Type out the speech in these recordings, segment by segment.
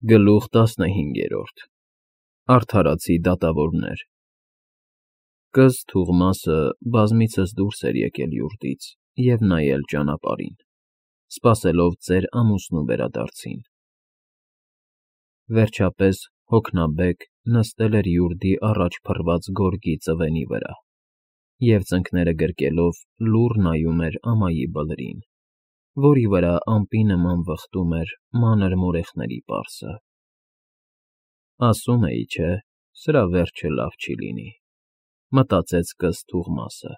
Գլուխ 15 Արդարացի դատավորներ Կզ Թուղմասը բազմիցս դուրս էր եկել յուրտից և նայել ճանապարհին, սպասելով ծեր ամուսնու վերադարձին. վերջապես հոգնաբեկ նստել էր յուրդի առաջ փռված գորգի ծվենի վրա և ծնկները գրկելով լուռ նայում էր ամայի բլրին, որի վրա ամպի նման վխտում էր մանր մորեխների պարսը։ Ասում էի, չէ, սրա վերջը լավ չի լինի, մտածեց կզ Թուղմասը,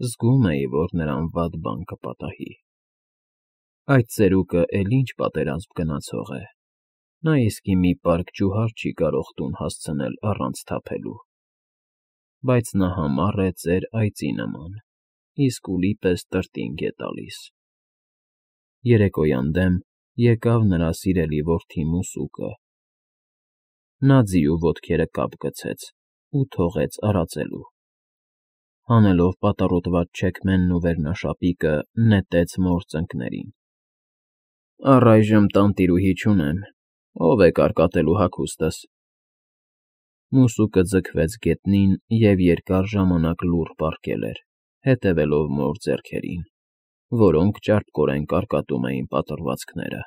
զգում էի, որ նրան վատ բան կպատահի։ Այդ ծերուկը էլ ինչ պատերազմ գնացող է, նա իսկի մի պարկ ջուհար չի կարող տուն հասցնել առանց թափելու, բայց նա համառ է ծեր այծի նման, իսկ ուլի պես տրտինգ է տալիս։ Երեկոյան դեմ եկավ նրա սիրելի որդի Մուսուկը. նա ձիու ոտքերը կապ գցեց ու թողեց արածելու, հանելով պատառոտված չեքմենն ու վերնաշապիկը նետեց մոր ծնկներին։ Առայժմ տանտիրուհի չունեմ, ով է կարկատելու հագուստս։ Մուսուկը ձգվեց գետնին և երկար ժամանակ լուռ պառկել էր, հետևելով մոր ձեռքերին, որոնք ճարպկորեն կարկատում էին պատռվածքները։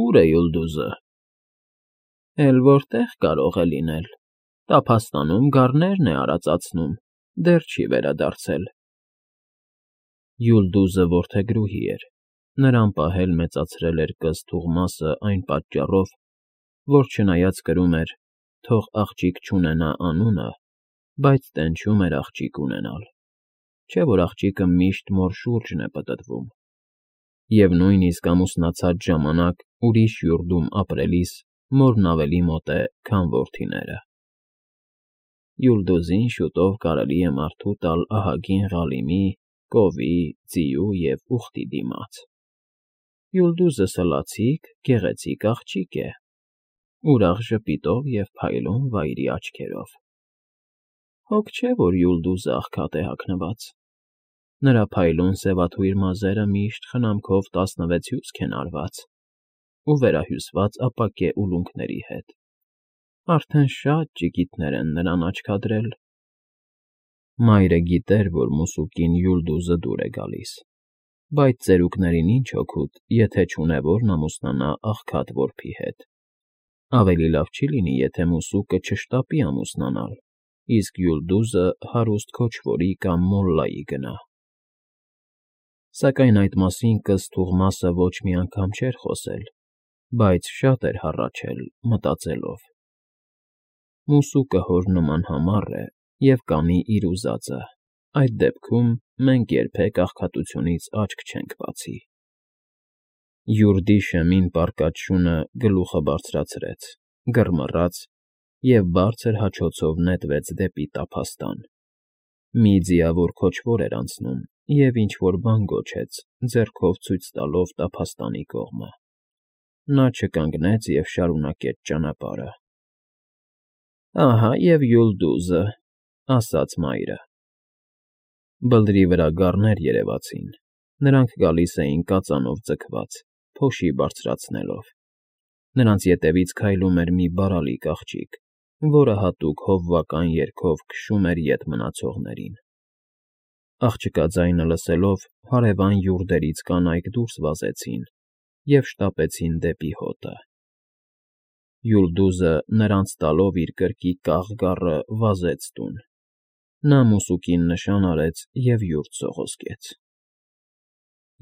Ո՞ւր է Յուլդուզը։ Էլ որտեղ կարող է լինել, տափաստանում գառներն է արածացնում, դեռ չի վերադարձել։ Յուլդուզը որդեգրուհի էր, նրան պահել մեծացրել էր կզ Թուղմասը այն պատճառով, որ չնայած կրում էր «թող աղջիկ չունենա» անունը, բայց տենչում էր աղջիկ ունենալ, չէ՞ որ աղջիկը միշտ մոր շուրջն է պտտվում, և նույնիսկ ամուսնացած ժամանակ ուրիշ յուրդում ապրելիս մորն ավելի մոտ է, քան որդիները։ Յուլդուզին շուտով կարելի է մարդու տալ ահագին Ղալիմի, կովի, ձիու և ուղտի դիմաց։ Յուլդուզը սլացիկ, գեղեցիկ աղջիկ է, ուրախ ժպիտով և փայլուն վայրի աչքերով։ Հոգ չէ, որ Յուլդուզը աղքատ է հագնված, նրա փայլուն սևաթույր մազերը միշտ խնամքով 16 հյուսք են արված ու վերահյուսված ապակե ուլունքների հետ, արդեն շատ ճիգիտներ են նրան աչքադրել։ Մայրը գիտեր, որ Մուսուկին Յուլդուզը դուր է գալիս, բայց ծերուկներին ինչ օգուտ, եթե չունե որն ամուսնանա աղքատ որբի հետ։ Ավելի լավ չի լինի, եթե Մուսուկը չշտապի ամուսնանալ, իսկ Յուլդուզը հարուստ քոչվորի կամ մոլլայի գնա։ Սակայն այդ մասին կզ Թուղմասը ոչ մի անգամ չէր խոսել, բայց շատ էր հառաչել, մտածելով. Մուսուկը հոր նման համառ է և կանի իր ուզածը, այդ դեպքում մենք երբեք աղքատությունից աչք չենք բացի։ Յուրդի շեմին պառկած շունը գլուխը բարձրացրեց, գրմռաց և բարձր հաչոցով նետվեց դեպի տափաստան։ Մի ձիավոր քոչվոր էր անցնում և ինչ֊որ բան գոչեց, ձեռքով ցույց տալով տափաստանի կողմը։ Նա չկանգնեց և շարունակեց ճանապարհը։ Ահա և Յուլդուզը, ասաց մայրը։ Բլրի վրա գառներ երևացին, նրանք գալիս էին կածանով ձգված, փոշի բարձրացնելով։ Նրանց ետևից քայլում էր մի բարալիկ աղջիկ, որը հատուկ հովվական երգով քշում էր ետ մնացողներին։ Աղջկա ձայնը լսելով հարևան յուրդերից կանայք դուրս վազեցին և շտապեցին դեպի հոտը։ Յուլդուզը նրանց տալով իր կրկի կաղ գառը վազեց տուն։ Նա Մուսուկին նշան արեց և յուրդ սողոսկեց։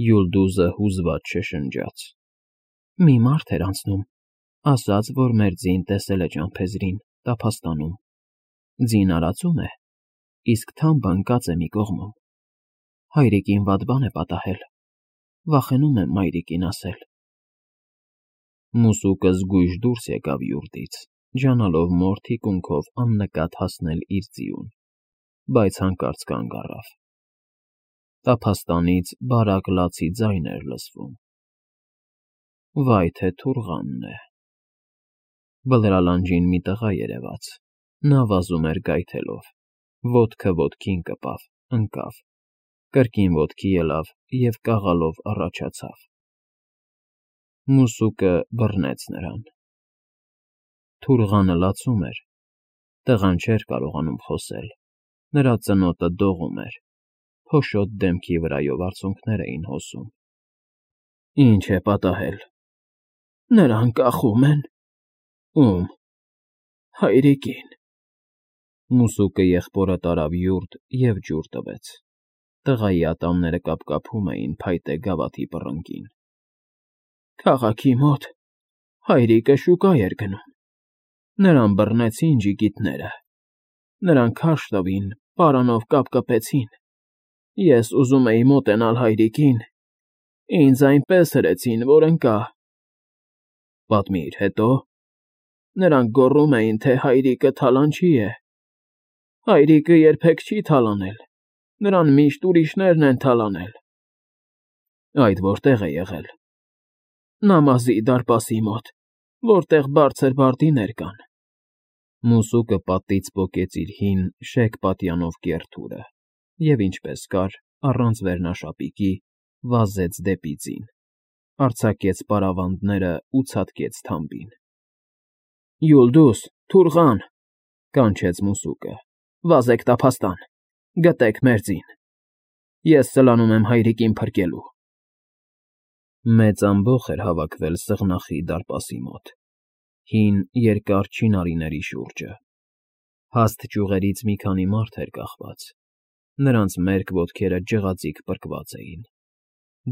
Յուլդուզը հուզված շշնջաց. Մի մարդ էր անցնում, ասաց, որ մեր ձին տեսել է ճամփեզրին, տափաստանում։ Ձին արածում է, իսկ թամբը ընկած է մի կողմում։ Հայրիկին վատ բան է պատահել, վախենում եմ մայրիկին ասել։ Մուսուկը զգույշ դուրս եկավ յուրդից, ջանալով մոր թիկունքով աննկատ հասնել իր ձիուն, բայց հանկարծ կանգ առավ։ Տափաստանից բարակ լացի ձայն էր լսվում։ Վայ թե թուրղանն է։ Բլրալանջին մի տղա երևաց, նա վազում էր գայթելով, ոտքը ոտքին կպավ, ընկավ, կրկին ոտքի ելավ և կաղալով առաջացավ։ Մուսուկը բռնեց նրան։ Թուրղանը լացում էր։ Տղան չէր կարողանում խոսել։ Նրա ծնոտը դողում էր։ Փոշոտ դեմքի վրայով արցունքներ էին հոսում։ Ինչ է պատահել։ Նրան կախում են։ Ում։ Հայրիկին։ Մուսուկը եղբորը տարավ յուրտ և ջուր տվեց։ Տղայի ատամները կապկապում էին փայտե գավաթի պռնկին։ Քաղաքի մոտ հայրիկը շուկա էր գնում։ Նրան բռնեցին ջիգիտները։ Նրան քարշ տվին, պարանով կապկպեցին։ Ես ուզում էի մոտենալ հայրիկին։ Ինձ այնպես հրեցին, որ ընկա։ Պատմիր, հետո։ Նրանք գոռում էին, թե հայրիկը թալանչի է։ Հայրիկը երբեք չի թալանել։ Նրան միշտ ուրիշներն են թալանել։ Այդ որտեղ է եղել։ Նամազի դարպասի մոտ, որտեղ բարձր բարդիներ կան։ Մուսուկը պատից պոկեց իր հին, շեկ պատյանով կեռ թուրը և ինչպես կար, առանց վերնաշապիկի, վազեց դեպի ձին, արձակեց պարավանդները ու ցատկեց թամբին։ Յուլդուս, Թուրղան, կանչեց մուսուկը, վազեք տափաստան, գտեք մեր ձին։ Ես սլանում եմ հայրիկին փրկելու։ Մեծ ամբոխ էր հավաքվել սղնախի դարպասի մոտ, հին, երկար չինարիների շուրջը։ Հաստ ճյուղերից մի քանի մարդ էր կախված։ Նրանց մերկ ոտքերը ջղաձիգ պրկված էին։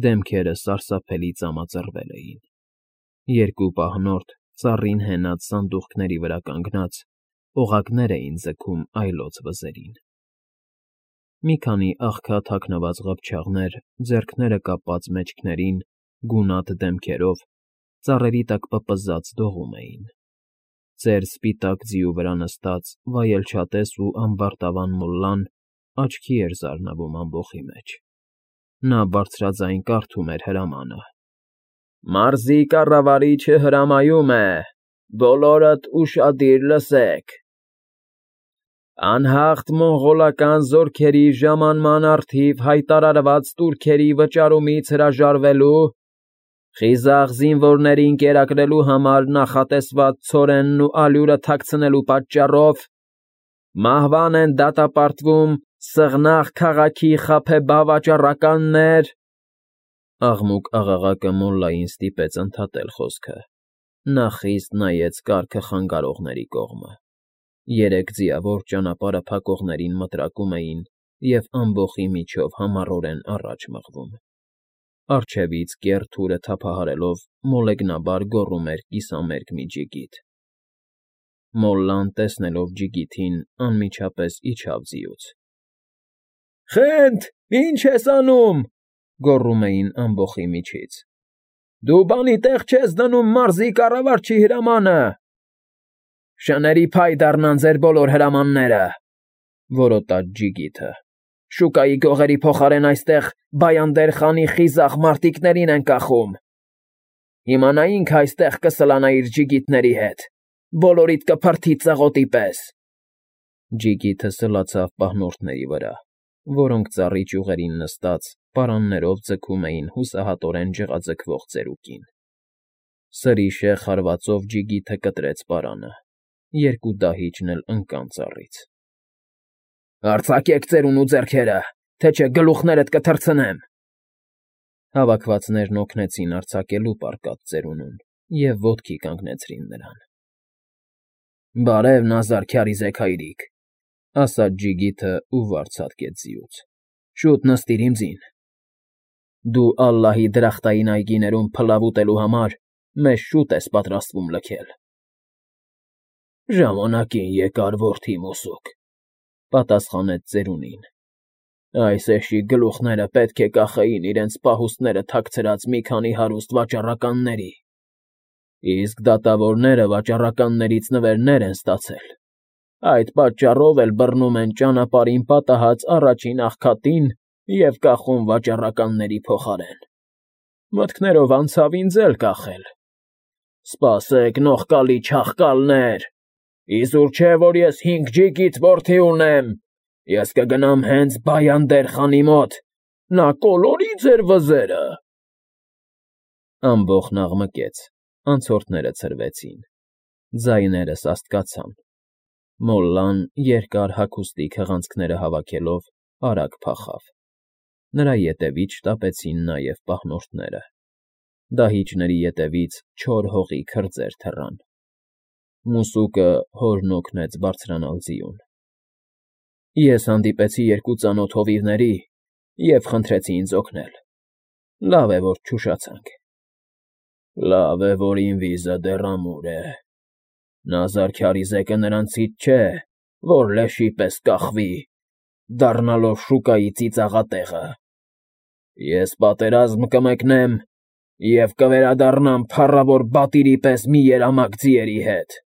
Դեմքերը սարսափելի ծամածռվել էին։ Երկու պահնորդ, ծառին հենած սանդուղքների վրա կանգնած, օղակներ էին ձգում այլոց վզերին։ Մի քանի աղքատ հագնված ղփչաղներ, ձեռքները կապած մեջքներին, գունատ դեմքերով, ծառերի տակ պպզած դողում էին։ Ծեր սպիտակ ձիու վրա նստած վայելչատես ու ամբարտավան մոլլան աչքի էր զարնվում ամբոխի մեջ։ Նա բարձրաձայն կարդում էր հրամանը. Մարզի կառավարիչը հրամայում է, բոլորդ ուշադիր լսեք։ Անհաղթ մոնղոլական զորքերի ժամանման առթիվ հայտարարված տուրքերի վճարումից հրաժարվելու, խիզախ զինվորներին կերակրելու համար նախատեսված ցորենն ու ալյուրը թաքցնելու պատճառով մահվան են դատապարտվում Սղնաղ քաղաքի խաբեբա վաճառականներ։ Աղմուկ աղաղակը մոլլային ստիպեց ընդհատել խոսքը։ Նա խիստ նայեց կառքը խանգարողների կողմը։ Երեք ձիավոր ճանապարհը փակողներին մտրակում էին և ամբոխի միջով համառորեն առաջ մղվում։ Առջևից կեռ թուրը թափահարելով մոլեգնաբար գոռում էր կիսամերկ մի ջիգիթ։ Մոլլան, տեսնելով ջիգիթին, անմիջապես իջավ ձիուց։ Խենթ, ի՞նչ ես անում,֊ գոռում էին ամբոխի միջից։ Դու բանի տեղ չես դնում մարզի կառավարչի հրամանը։ Շների փայ դառնան ձեր բոլոր հրամանները,֊ որոտաց ջիգիթը։ Շուկայի գողերի փոխարեն այստեղ Բայանդեր խանի խիզախ մարտիկներին են կախում։ Հիմա նա ինքը այստեղ կսլանա իր ջիգիթների հետ, բոլորիդ կփրթի ծղոտի պես։ Ջիգիթը սլացավ պահնորդների վրա, որոնք ծառի ճյուղերին նստած պարաններով ձգում էին հուսահատորեն ջղաձգվող ծերուկին։ Սրիշե խարվածով ջիգիթը կտրեց պարանը։ Երկու դահիճն էլ ընկան ծառից։ Արձակեք ծերուն ու ձեռքերը, թե չէ գլուխներդ կթռցնեմ։ Հավաքվածներն օգնեցին արձակելու պառկած ծերունուն և ոտքի կանգնեցրին նրան։ Բարև, Նազար Քյարիզեկ հայրիկ,֊ ասաց ջիգիթը ու վար ցատկեց ձիուց։ Շուտ նստիր իմ ձին։ Դու Ալլահի դրախտային այգիներում փլավ ուտելու համար մեզ շուտ ես պատրաստվում լքել։ Ժամանակին եկար, որդի մուսուկ,֊ պատասխանեց ծերունին։ Այս էշի գլուխները պետք է կախեին իրենց պահուստները թաքցրած մի քանի հարուստ վաճառականների, իսկ դատավորները վաճառականներից նվերներ են ստացել։ Այդ պատճառով էլ բռնում են ճանապարհին պատահած առաջին աղքատին և կախում վաճառականների փոխարեն։ Մտքներով անցավ ինձ էլ կախել։ Սպասեք, նողկալի չաղկալներ, իզուր չէ, որ ես 5 ջիգիթ որդի ունեմ։ Ես կգնամ հենց Բայանդեր խանի մոտ, նա կոլորի ձեր վզերը։ Ամբոխն աղմկեց, անցորդները ցրվեցին, ձայները սաստկացան, Մոլլան երկար հագուստի քղանցքները հավաքելով արագ փախավ, նրա ետևից շտապեցին նաև պահնորդները, դահիճների ետևից չոր հողի քրձեր թռան, մուսուկը հորն օգնեց բարձրանալ ձիուն։ Ես հանդիպեցի երկու ծանոթ հովիվների և խնդրեցի ինձ օգնել, լավ է, որ չուշացանք։ Լավ է, որ ինվիզը դեռ ամուր է, նա զարդարիզեկը նրանցից չէ, որ լեշի պես կախվի, դառնալով շուկայի ծիծաղատեղը։ Ես պատերազմ կմեկնեմ և կվերադառնամ փառավոր բատիրի պես մի երամակ ձիերի հետ։